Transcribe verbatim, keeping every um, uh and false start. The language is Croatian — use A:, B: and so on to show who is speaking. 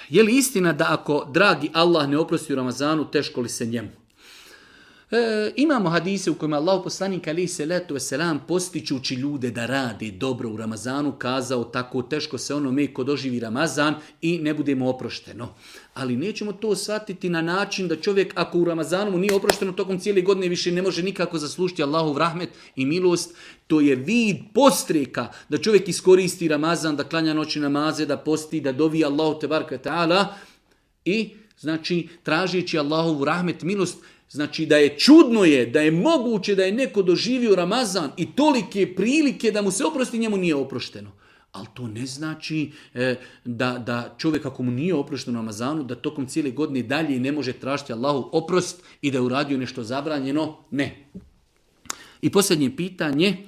A: je li istina da ako dragi Allah ne oprosti u Ramazanu, teško li se njemu? E, imamo hadise u kojima Allah poslanik alejhi selatu vesselam postičući ljude da rade dobro u Ramazanu kazao tako teško se onome ko doživi Ramazan i ne bude mu oprošteno. Ali nećemo to shvatiti na način da čovjek ako u Ramazanu mu nije oprošteno tokom cijele godine više ne može nikako zaslužiti Allahov rahmet i milost. To je vid postreka da čovjek iskoristi Ramazan, da klanja noći namaze, da posti, da dovi Allahu tebareke ve taala i znači tražeći Allahovu rahmet, milost. Znači da je čudno je, da je moguće da je neko doživio Ramazan i tolike prilike da mu se oprosti, njemu nije oprošteno. Ali to ne znači e, da, da čovjek ako mu nije oprošteno u Ramazanu, da tokom cijele godine dalje ne može tražiti Allahu oprost i da je uradio nešto zabranjeno. Ne. I posljednje pitanje.